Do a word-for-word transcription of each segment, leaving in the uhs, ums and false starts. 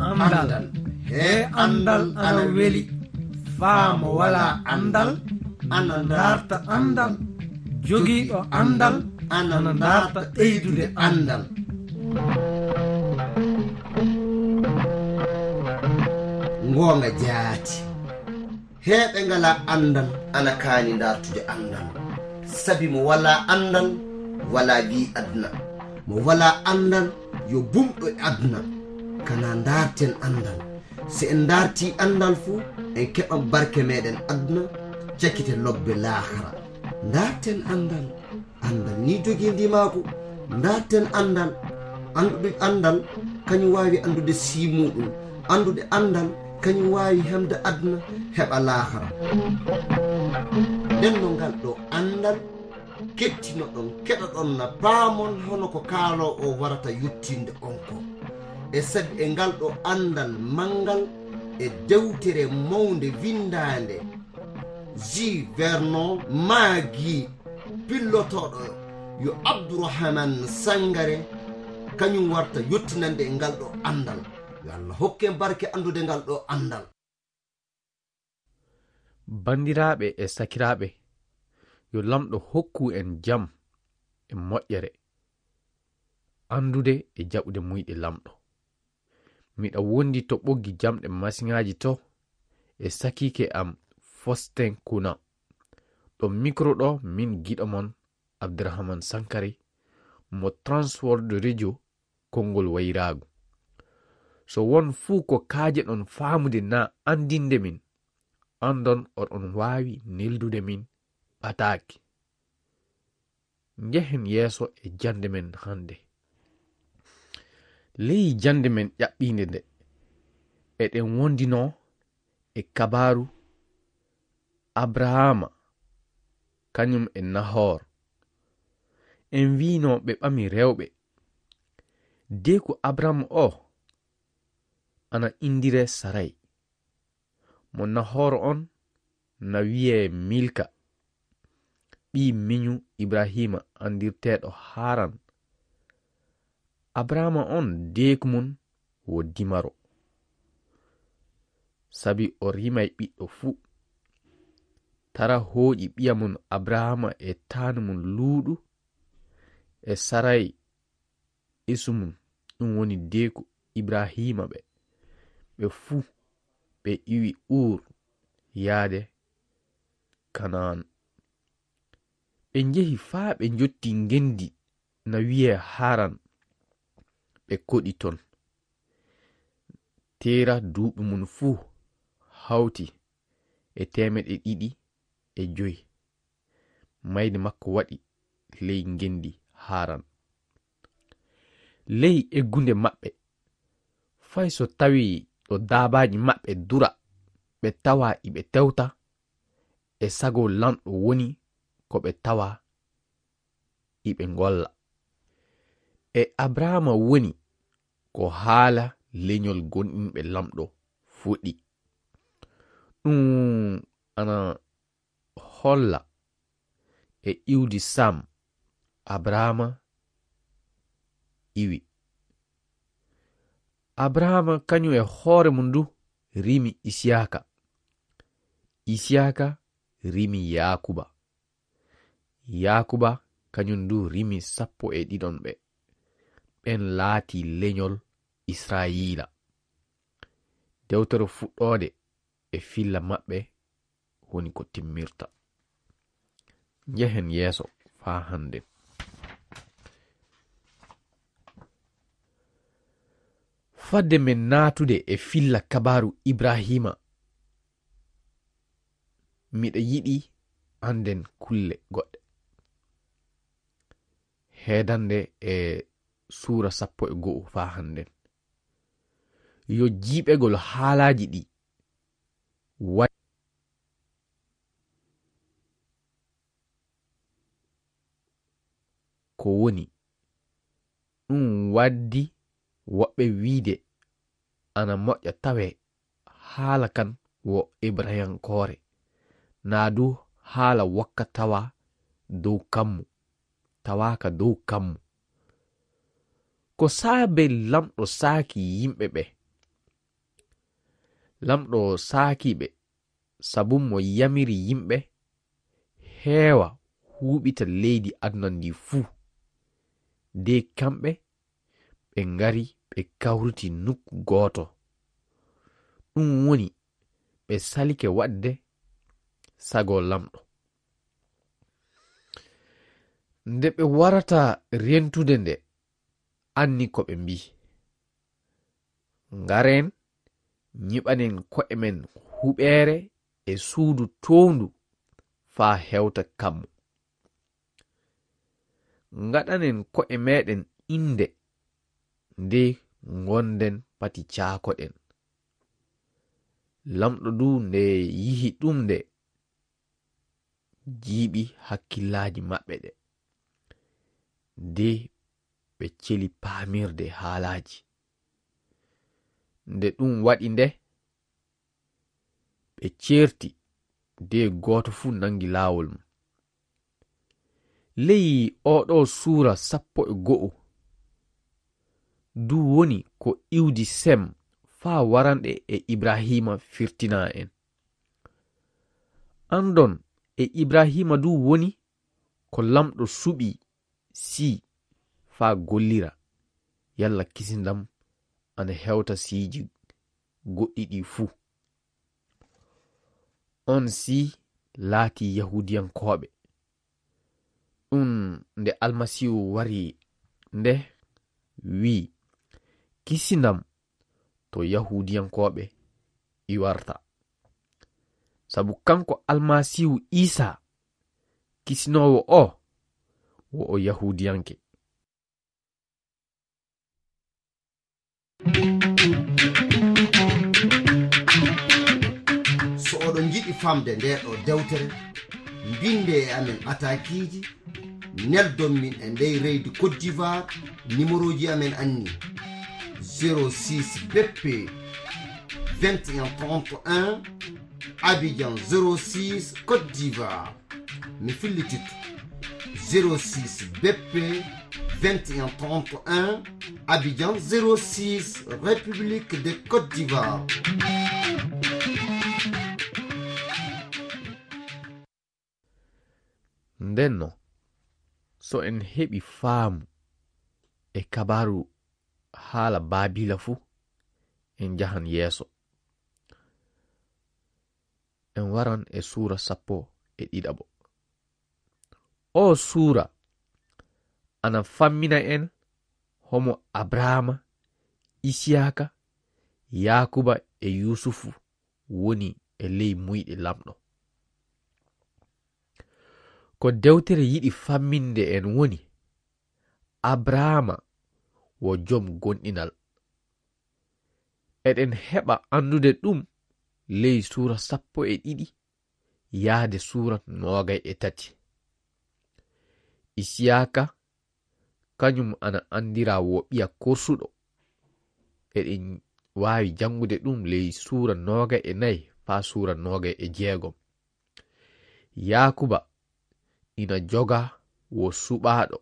Anndal. He anndal ana weli. Faa mo walaa anndal ana ndaarta anndal. Jogiiɗo anndal ana ndaarta ɓeydude anndal. Ngoonga jaati. Heeɓe ngalaa anndal ana kaani ndaartude anndal. Sabi mo walaa anndal, walaa wi aduna. Mo walaa anndal, yo bumɗo e aduna. Kanaa ndaarten anndal. Si en ndaartii anndal fu, en keɓan barke meeɗen aduna, cakite lobbe laakara. Ndaarten anndal. Anndal ni jogii ndimaagu. Ndaarten anndal. Anndude anndal, kañum waawi anndude sii muuɗum. Anndude anndal, kañum waawi heɓde aduna, heɓa laakara. Nden no ngal ɗo anndal, kettinoɗon, keɗoɗon na paamon hono ko kaaloowo o warata yottinde on ko. E sabi e ngal ɗo anndal manngal e dewtere mawnde winndaande, J. Vernon Magee, pillotooɗo yo Abdurahman Sangare, kañum warta yottinande e ngal ɗo anndal. Yo Allah hokku en barke anndude ngal ɗo anndal. Banndiraaɓe e sakiraaɓe, yo Laamɗo hokku en jam e moƴƴere, anndude e jaɓude muyɗe Laamɗo. Miɗa wondi to ɓoggi jamɗe masiŋaaji to e sakiike am Fosten Kuna. Ɗo mikro ɗo min giɗo mon Abdurahman Sankare mo Transworld Radio konngol wayraagu. So won fuu ko kaajeɗon faamude naa anndinde min, anndon oɗon waawi neldude min ɓataake. Njehen yeeso e jannde men hannde. Ley jannde men ƴaɓɓiinde nde, eɗen wondinoo e kabaaru Abrahaama, kañum e Nahor. En wiino ɓe ɓami rewɓe. Deeku Abrahaama o ana inndiree Saray. Mo Nahor on na wiyee Milka, ɓii miñu Ibrahiima anndirteeɗo Haran. Abrahaama on deeku mun wo dimaro, sabi o rimay ɓiɗɗo fuu. Tara hooƴi ɓiya mun Abrahaama e taanu mun Luuɗu e Saray isu mun, ɗum woni deeku Ibrahiima ɓe. Ɓe fuu ɓe iwi Uur yaade Kanaan. Ɓe njehi faa ɓe njotti ngenndi na wiyee Haran. Ɓe koɗi ton. Teera duuɓi mun fuu hawti e teemeɗɗe ɗiɗi e joy. Mayde makko waɗi ley ngenndi Haran. Ley eggunde maɓɓe, fay so tawii ɗo daabaaji maɓɓe dura, ɓe tawa iɓe tewta, e sago Lanɗo woni ko ɓe tawa iɓe ngolla. E Abrahaama woni ko haala leñol gomɗinɓe Lanɗo fuɗɗi. Ɗum ana holla e iwdi Sam, Abrahaama iwi. Abrahaama kañum e hoore mum du rimi Isiyaaka. Isiyaaka rimi Yaakuba. Yaakuba kañum du rimi sappo e ɗiɗon ɓe. Ɓen laati leñol Israayiila. Dewtere Fuɗɗoode e filla maɓɓe woni ko timmirta. Njehen yeeso faa hannden. Fadde men naatude e filla kabaaru Ibrahiima, miɗa yiɗi annden kulle goɗɗe. Heedande e suura sappo e go'o faa hannden. Yo jiiɓegol haalaaji ɗi wa-, ko woni, ɗum waddi woɓɓe wiide ana moƴƴa tawee haala kan wo Ibrayankoore, naa du haala wokka tawa dow kammu, tawaaka dow kammu. Ko saabe Lamɗo saaki yimɓe ɓe, Lamɗo saakii ɓe, sabu mo yamiri yimɓe heewa huuɓita leydi aduna ndi fuu. De kamɓe, ɓe ngari, ɓe kawriti nokku gooto. Ɗum woni, ɓe salike waɗde sago Lamɗo. Nde ɓe warata rentude nde, anni ko ɓe mbii: "Ngaren, nyiɓanen ko'e men huɓeere e suudu toowndu faa hewta kammu. Ngaɗanen ko'e meeɗen innde, de ngonden pati caakoɗen." Lamɗo du nde yihi ɗum nde, jiiɓi hakkillaaji maɓɓe ɗe, de ɓe celi paamirde haalaaji. Nde ɗum waɗi nde, ɓe ceerti, de gooto fuu nanngi laawol mum. Ley oo ɗoo suura sappo e go'o du woni ko iwdi Sem faa waranɗe e Ibrahiima firtinaa en. Anndon e Ibrahiima du woni ko Lamɗo suɓii sii faa gollira, yalla kisindam ana hewta siiji goɗɗi ɗi fuu. On sii laatii Yahuudiyankooɓe. Ɗum nde Almasiihu wari nde wi'i: "Kisindam to Yahuudiyankooɓe iwarta." Sabu kanko Almasiihu Iisaa, kisinoowo o, wo o Yahuudiyanke. So oɗon njiɗi famde ndee ɗoo dewtere, mbinde e amen ataakiiji, neldon min e ndey reydi Côte d'Ivoire, nimerooji amen anni: zéro six B P vingt et un trente et un, Abidjan zéro six, Côte d'Ivoire. Mi fillititto: zéro six B P vingt et un trente et un, Abidjan zéro six, République de Côte d'Ivoire. Ndenno, so en heɓi faamu e kabaaru haala Baabila fu, en njahan yeeso. En waran e suura sappo e ɗiɗaɓo. Oo suura ana fammina en homo Abrahaama, Isiyaaka, Yaakuba e Yuusufu woni e ley muyɗe Lamɗo. Ko dewtere yiɗi famminde en woni, Abrahaama wo jom gomɗinal. Eɗen heɓa anndude ɗum ley suura sappo e ɗiɗi yaade suura noogay e tati. Isiyaaka, kañum ana anndiraa wo ɓiya korsuɗo. Eɗen waawi janngude ɗum ley suura noogay e nayi faa suura noogay e jeegom. Yaakuba ina jogaa wo suɓaaɗo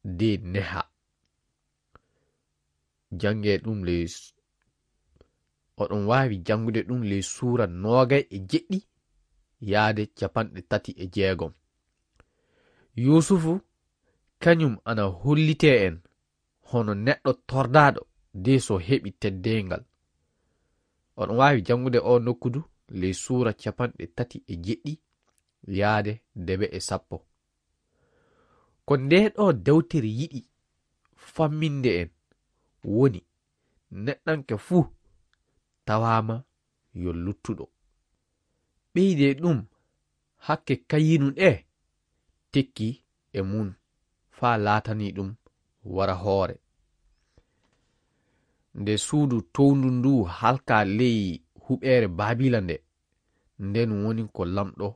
de nehaa. Janngee ɗum ley s-, oɗon waawi janngude ɗum ley suura noogay e jeɗɗi yaade capanɗe tati e jeegom. Yuusufu, kañum ana hollitee en hono neɗɗo tordaaɗo de so heɓi teddeengal. Oɗon waawi janngude oo nokku du ley suura capanɗe tati e jeɗɗi yaade debe e sappo. Ko ndee ɗoo dewtere yiɗi famminde en woni neɗɗanke fuu tawaama yo luttuɗo. Ɓeydee ɗum hakke Kayinu ɗe tekki e mum faa laatanii ɗum wara hoore. Nde suudu towndu ndu halkaa ley huɓeere Baabila nde, nden woni ko Lamɗo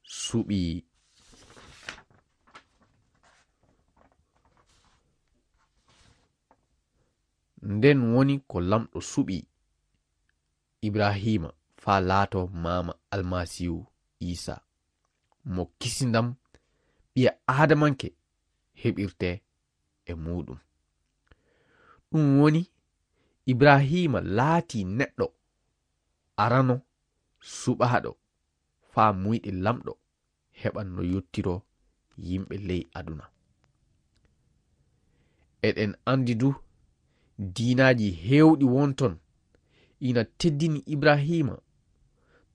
suɓii. Nden woni ko Lamɗo suɓii Ibrahiima faa laatoo maama Almasiihu Iisaa, mo kisindam ɓiya Aadamanke heɓirtee e muuɗum. Ɗum woni, Ibrahiima laatii neɗɗo arano suɓaaɗo faa muyɗe Laamɗo heɓa no yottiroo yimɓe ley aduna. Eɗen anndi du, diinaaji heewɗi won ton ina teddini Ibrahiima.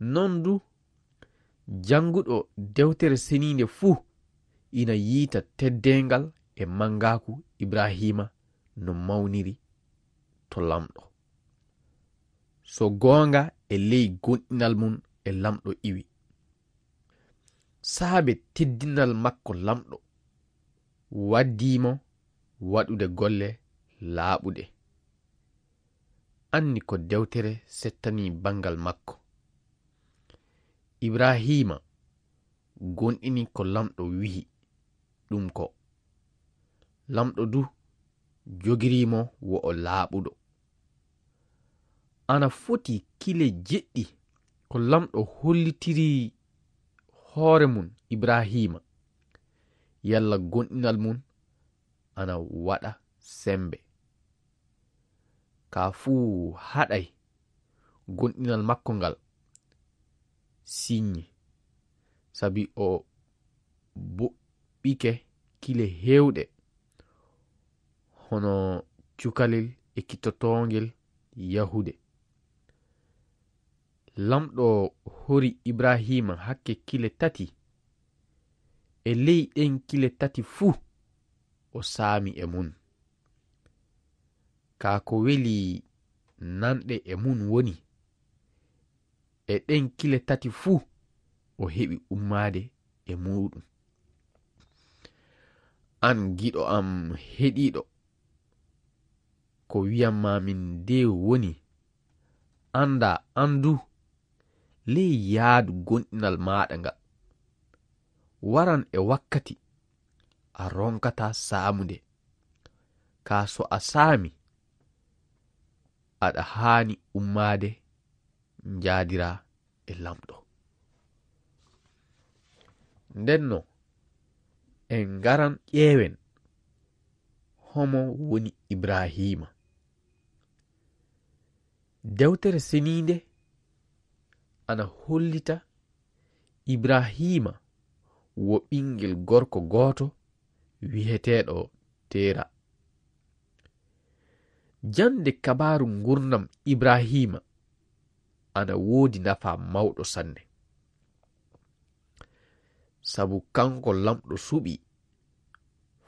Noon du, jannguɗo Dewtere Seniinde fuu ina yiita teddeengal e manngaaku Ibrahiima no mawniri to Laamɗo. So goonga e ley goonɗinal mum e Laamɗo iwi. Saabe teddinal makko Laamɗo, waddii mo waɗude golle laaɓuɗe. Anni ko dewtere settani banngal makko. Ibrahiima goonɗini ko Laamɗo wi'i ɗum ko. Laamɗo du jogirii mo wo o laaɓuɗo. Ana foti kile jeɗɗi ko Laamɗo hollitiri hoore mum Ibrahiima, yalla goonɗinal mum ana waɗa semmbe. Ka fuu haɗay goonɗinal makko ngal siññi, sabi o boɓɓike kile heewɗe, hono cukalel ekkitotoongel yahude. Laamɗo hori Ibrahiima hakke kile tati. E ley ɗeen kile tati fuu, o saami e mum. Kaa ko weli nanɗe e mum woni, e ɗeen kile tati fuu, o heɓi ummaade e muuɗum. Aan giɗo am heɗiiɗo, ko wi'an maa min de woni, annda aan du, ley yaadu goonɗinal maaɗa ngal, waran e wakkati a ronkataa saamude. Kaa so a saami, aɗa haani ummaade njaadiraa e Laamɗo. Ndennoo, en ngaran ƴeewen homo woni Ibrahiima. Dewtere Seniinde ana hollita Ibrahiima wo ɓinngel gorko gooto wi'eteeɗo Teera. Jannde kabaaru nguurndam Ibrahiima ana woodi nafaa mawɗo sanne. Sabu kanko Laamɗo suɓii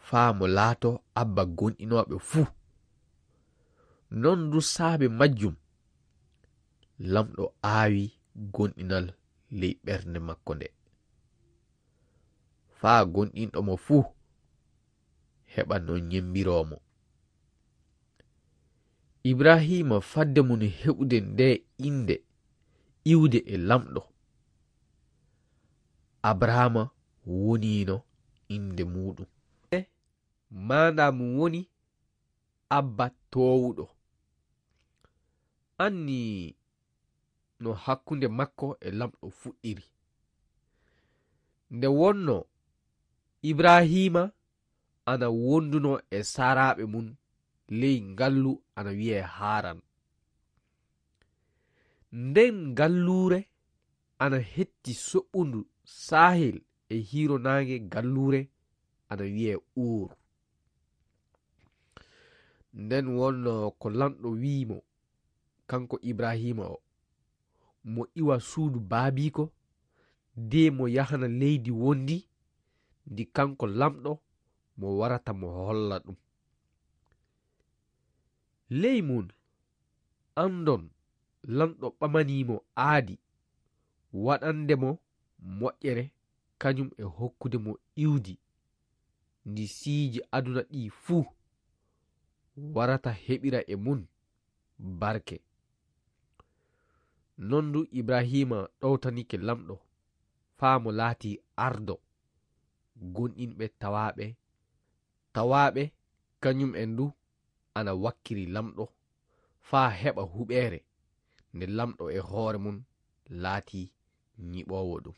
faa mo laatoo abba goonɗinooɓe fuu. Noon du saabe majjum, Laamɗo aawi goonɗinal ley ɓernde makko nde, faa goonɗinɗo mo fuu heɓa no ñemmbiroo mo. Ibrahiima fadde mum heɓude ndee innde iwde e Laamɗo, Abrahaama woniino innde muuɗum. Maanaa mum woni Abba Toowuɗo. Anni no hakkunde makko e Laamɗo fuɗɗiri. Nde wonnoo Ibrahiima ana wondunoo e saaraaɓe mum ley ngallu ana wiyee Haaran. Nden ngalluure ana hetti soɓɓundu saahel e hiiro naange ngalluure ana wiyee Uur. Nden wonnoo ko Laamɗo wi'i mo, kanko Ibrahiima o, mo iwa suudu baabiiko, de mo yahana leydi wondi, ndi kanko Laamɗo mo warata mo holla ɗum. Ley mum, anndon Laamɗo ɓamanii mo aadi, waɗande mo moƴƴere, kañum e hokkude mo iwdi, ndi siiji aduna ɗii fuu warata heɓira e mum barke. Noon du Ibrahiima ɗowtanike Laamɗo, faa mo laatii ardo, goonɗinɓe tawaaɓe, tawaaɓe kañum en du ana wakkiri Laamɗo, faa heɓa huɓeere, nde Laamɗo e hoore mum laatii ñiɓoowo ɗum.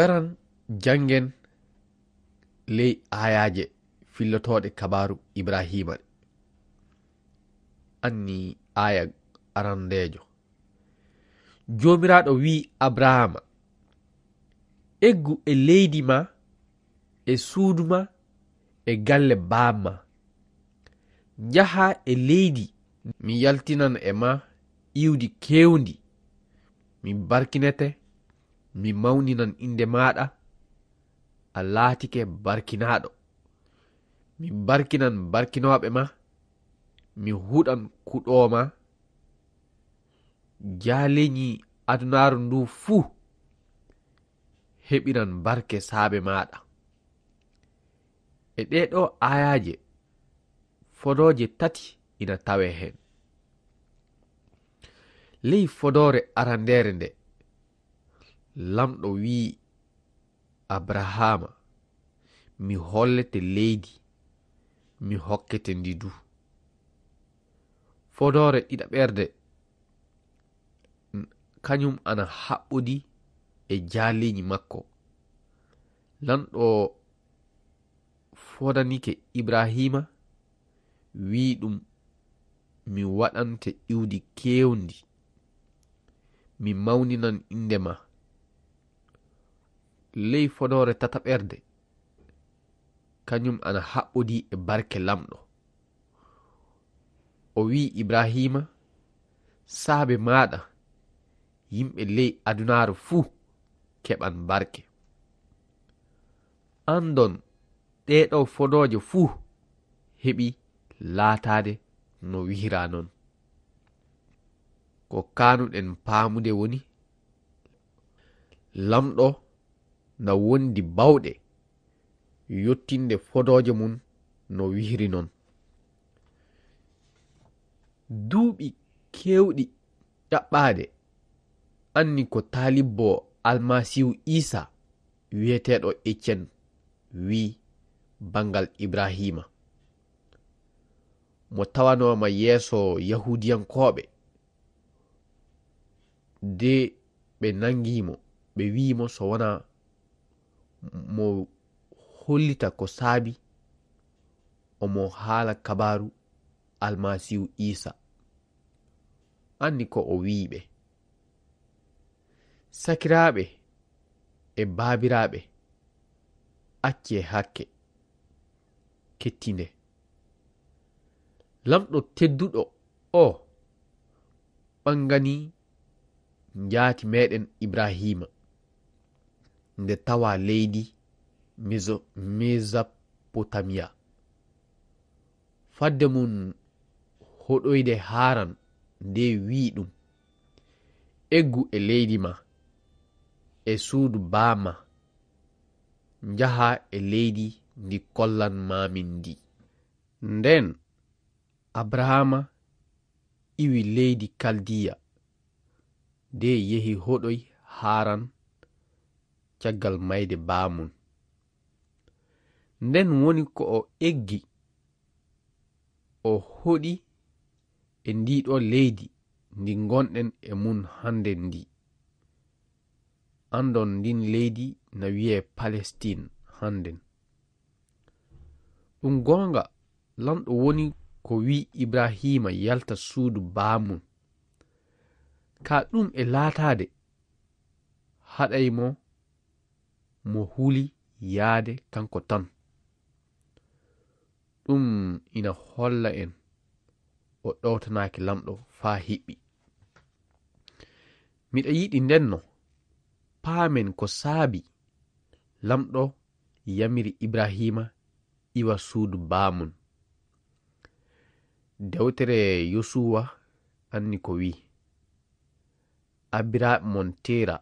Aran janngen ley aayaaje fillotooɗe kabaaru Ibraahiima ɗe. Anni aaya arandeejo. Joomiraaɗo wi'i Abrahaama, "Eggu e leydi ma, e suudu ma, e galle baaba ma. Njahaa e leydi mi yaltinan e ma iwdi keewndi. Mi barkinete, mi mawninan innde maaɗa, a laatike barkinaaɗo. Mi barkinan barkinooɓe ma, mi huɗan kuɗoo ma. Jaaleñi adunaaru ndu fuu heɓiran barke saabe maaɗa." E ɗee ɗoo aayaaje, fodooje tati ina tawee heen. Ley fodoore arandeere nde, Laamɗo wi'i Abrahaama, "Mi hollete leydi, mi hokkete ndi du." Fodoore ɗiɗaɓerde, n-, kañum ana haɓɓodi e jaaleñi makko. Laamɗo fodanike Ibraahiima, wi'i ɗum, "Mi waɗante iwdi keewndi, mi mawninan innde ma." Ley fodoore tataɓerde, kañum ana haɓɓodi e barke Laamɗo. O wi'i Ibraahiima, "Saabe maaɗa, yimɓe ley adunaaru fuu keɓan barke." Anndon, ɗee ɗoo fodooje fuu heɓi laataade no wi'iraa noon. Ko kaanuɗen faamude woni, Laamɗo na wondi baawɗe yottinde fodooje mum no wi'iri noon. Duuɓi keewɗi ɗaɓɓaade, anni ko taalibbo Almasiihu Iisaa wi'eteeɗo Ecen wi'i banngal Ibraahiima, mo tawanooma yeeso Yahuudiyankooɓe, de ɓe nangii mo, ɓe wi'i mo so wonaa mo hollita ko saabi omo haala kabaaru Almasiihu Iisaa. Anni ko o wi'i ɓe, "Sakiraaɓe e baabiraaɓe, accee hakke, kettindee. Laamɗo tedduɗo o ɓanganii njaati meeɗen Ibraahiima nde tawaa leydi Meso-, Mesopotamiya. Fadde mum hoɗoyde Haaran nde wi'i ɗum, 'Eggu e leydi ma, e suudu baa ma, njahaa e leydi ndi kollan maa min ndi.'" Ndeen Abrahaama iwi leydi Kaldiya, de yehi hoɗoy Haaran caggal mayde baa mum. Ndeen woni ko o eggi, o hoɗi e ndii ɗoo leydi ndi ngonɗen e mum hannden ndi. Anndon ndiin leydi na wiyee Palestiin hannden. Ɗum goonga, Laamɗo woni ko wi'i Ibrahiima yalta suudu baa mum. Ka ɗum e laataade, haɗay mo, mo huli yaade kanko tan. Ɗum ina holla en o ɗowtanaaki Laamɗo faa hiɓɓi. Miɗa yiɗi ndenno paamen ko saabi Laamɗo yamiri Ibrahiima iwa suudu baa mum. Dewtere Yosuwa anni ko wi'i, "Abbiraaɓe mon Teera,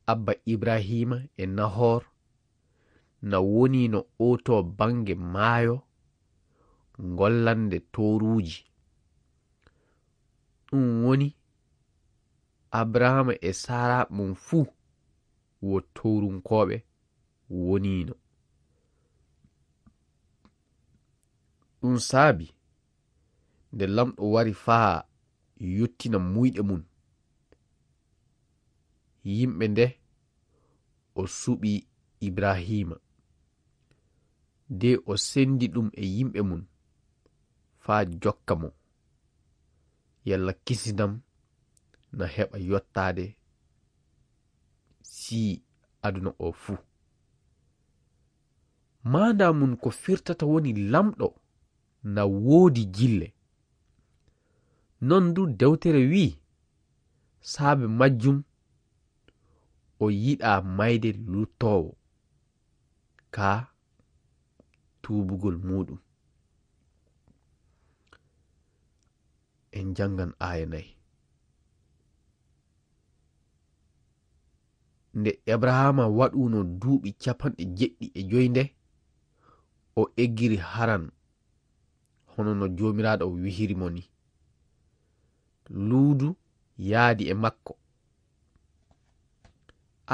abba Ibrahiima e Nahor, na woniino oo too bannge maayo ngollande tooruuji." Ɗum woni, Abrahaama e saaraaɓe mum fuu wo toorunkooɓe woniino. Ɗum saabi, nde Laamɗo wari faa yottina muuyɗe mum, yimɓe nde o suɓi Ibraahiima, de o senndi ɗum e yimɓe mum faa jokka mo, yalla kisindam na heɓa yottaade sii aduna o fuu. Maandaa mum ko firtata woni lamɗo na woodi jille. Noon du dewtere wi'i, saabe majjum o yiɗaa mayde luttoowo ka tuubugol muuɗum. En janngan aaya nayi. Nde Abrahaama waɗuno duuɓi capanɗe jeɗɗi e joy nde, o eggiri Haran, hono no Joomiraaɗo wi'iri mo ni. Luudu yaadi e makko.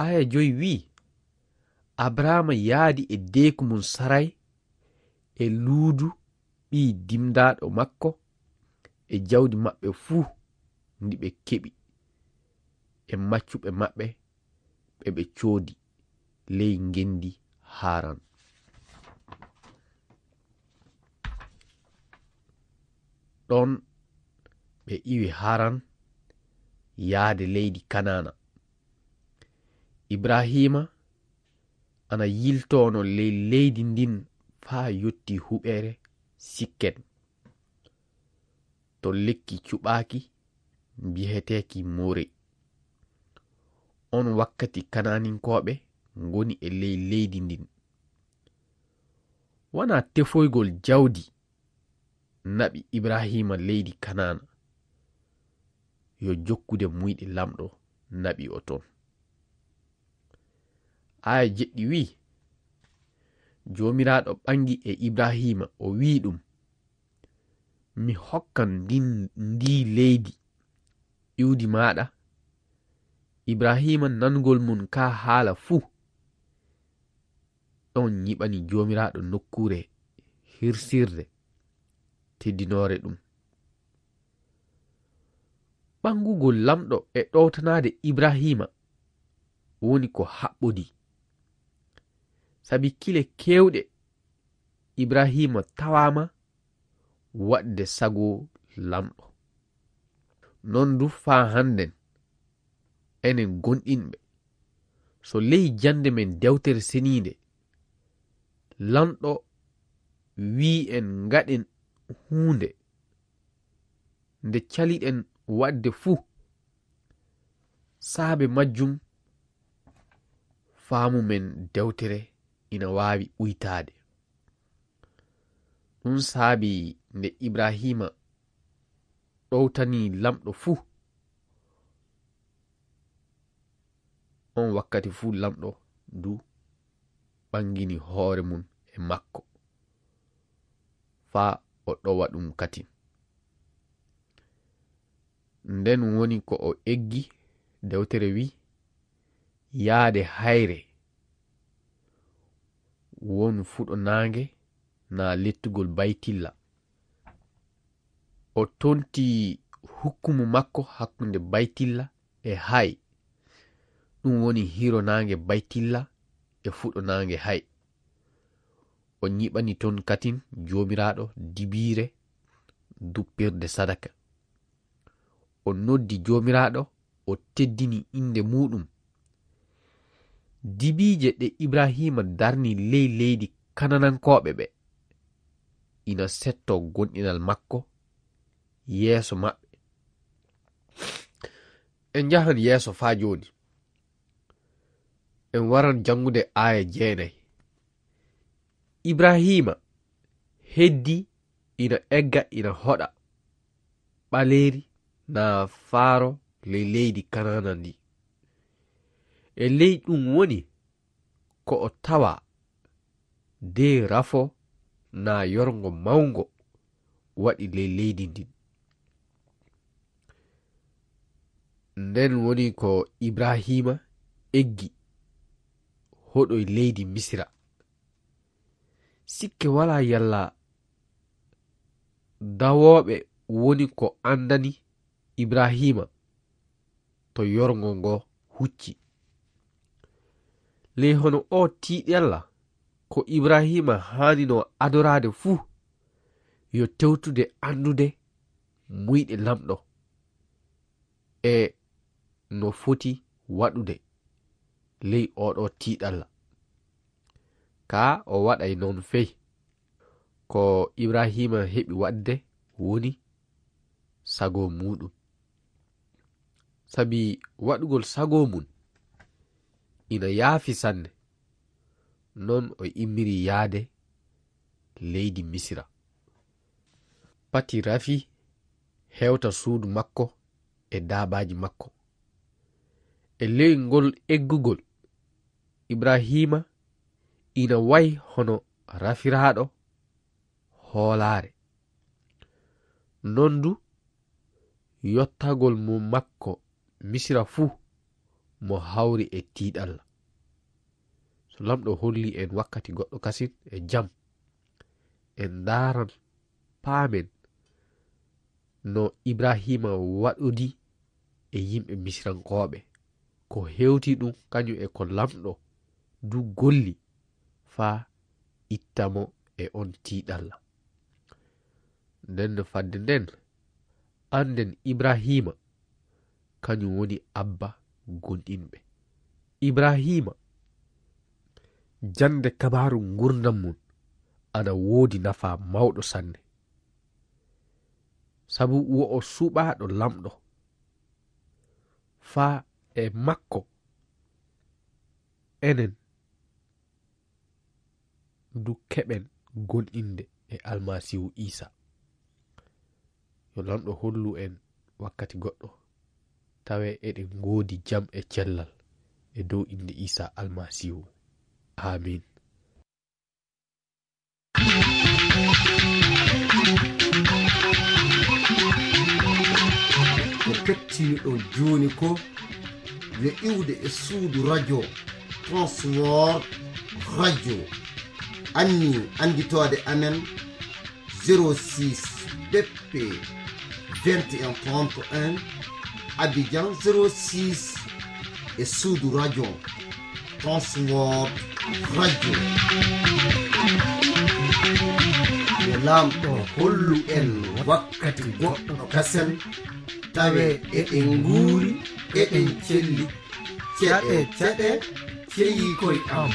Aaya joy wi'i, Abrahaama yaadi e deeku mum Saray e Luudu ɓii dimdaaɗo makko e jawdi maɓɓe fuu ndi ɓe keɓi e maccuɓe maɓɓe ɓe ɓe coodi ley ngenndi Haran. Ɗon ɓe iwi Haran yaade leydi Kanaana. Ibrahiima ana yiltoono ley leydi ndin faa yotti huɓeere Sikken, to lekki cuɓaaki mbiyeteeki More. On wakkati Kanaaninkooɓe ngoni e ley leydi ndin. Wanaa tefoygol jawdi naɓi Ibrahiima leydi Kanaana, yo jokkude muyɗe Laamɗo naɓi o toon. Aaya jeɗɗi wi'i, Joomiraaɗo ɓangi e Ibrahiima, o wi'i ɗum, Mi hokkan ndin, ndii leydi iwdi maaɗa. Ibrahiima nanugol mum kaa haala fuu, ɗon nyiɓani Joomiraaɗo nokkuure hirsirde teddinoore ɗum. Ɓangugol Laamɗo e ɗowtanaade Ibrahiima woni ko haɓɓodii, sabi kile keewɗe Ibrahiima tawaama waɗde sago Laamɗo. Noon du faa hannden, enen gomɗinɓe, so ley jannde men Dewtere Seniinde, Laamɗo wi'i en ngaɗen huunde nde caliɗen waɗde fuu, saabe majjum faamu men dewtere ina waawi uytaade. Ɗum saabi nde Ibrahiima ɗowtanii Laamɗo fuu, on wakkati fuu Laamɗo du ɓangini hoore mum e makko, faa o ɗowa ɗum katin. Nden woni ko o eggi, dewtere wi'i, yaade hayre won fuɗo naange naa lettugol Baytilla. O tonti hukkumu makko hakkunde Baytilla e Hay, ɗum woni hiiro naange Baytilla e fuɗo naange Hay. O nyiɓani toon katin Joomiraaɗo dibiire duppirde sadaka. O noddi Joomiraaɗo, o teddini innde muuɗum. Dibiije ɗe Ibrahiima darni ley leydi Kanaanankooɓe ɓe, ina settoo gomɗinal makko yeeso maɓɓe. En njahan yeeso faa jooni. En waran janngude aaya jeenay. Ibrahiima heddii ina egga ina hoɗa ɓaleeri naa faaro ley leydi Kanaana ndi. E ley ɗum woni ko o tawa de rafo naa yorngo mawngo waɗi ley leydi ndin. Nden woni ko Ibrahiima eggi hoɗoy leydi Misira. Sikke walaa yalla dawooɓe woni ko anndani Ibrahiima to yorngo ngo hucci. Ley hono oo tiiɗalla ko Ibrahiima haanino adoraade fuu, yo tewtude anndude muyɗe Laamɗo e no foti waɗude ley oo ɗoo tiiɗalla. Kaa o waɗay noon fey. Ko Ibrahiima heɓi waɗde woni sago muuɗum. Sabi waɗugol sago mum ina yaafi sanne, noon o immiri yahde leydi Misira. Pati rafi hewta suudu makko e daabaaji makko. E ley ngol eggugol, Ibrahiima ina wayi hono rafiraaɗo hoolaare. Noon du, yottagol mo makko Misira fuu mo hawri e tiiɗalla. So Laamɗo holli en wakkati goɗɗo kasin e jam, en ndaaran, paamen no Ibrahiima waɗodi e yimɓe Misirankooɓe, ko hewti ɗum kañum e ko Laamɗo du golli faa itta mo e on tiiɗalla. Nden no fadde nden, annden Ibrahiima, kañum woni abba gomɗinɓe. Ibrahiima, jannde kabaaru nguurndam mum ana woodi nafaa mawɗo sanne. Sabu wo o suɓaaɗo Laamɗo. Faa e makko, enen du keɓen gomɗinde e Almasiihu Iisaa. Yo Laamɗo hollu en wakkati goɗɗo, tawe eɗen ngoodi jam e cellal e dow innde Iisaa Almasiihu. Aamiin. Ko kettiniɗon jooni ko yo iwde e suudu radio Transworld Radio. Anni annditoode amen zéro six B P vingt et un trente et un, Abidjan zéro six, e suudu radio Transworld Radio. Yo Laamɗo hollu en wakkati goɗɗo kasen, tawe eɗen nguuri, eɗen celli. Ceɗe, ceɗe, ceyii koy am.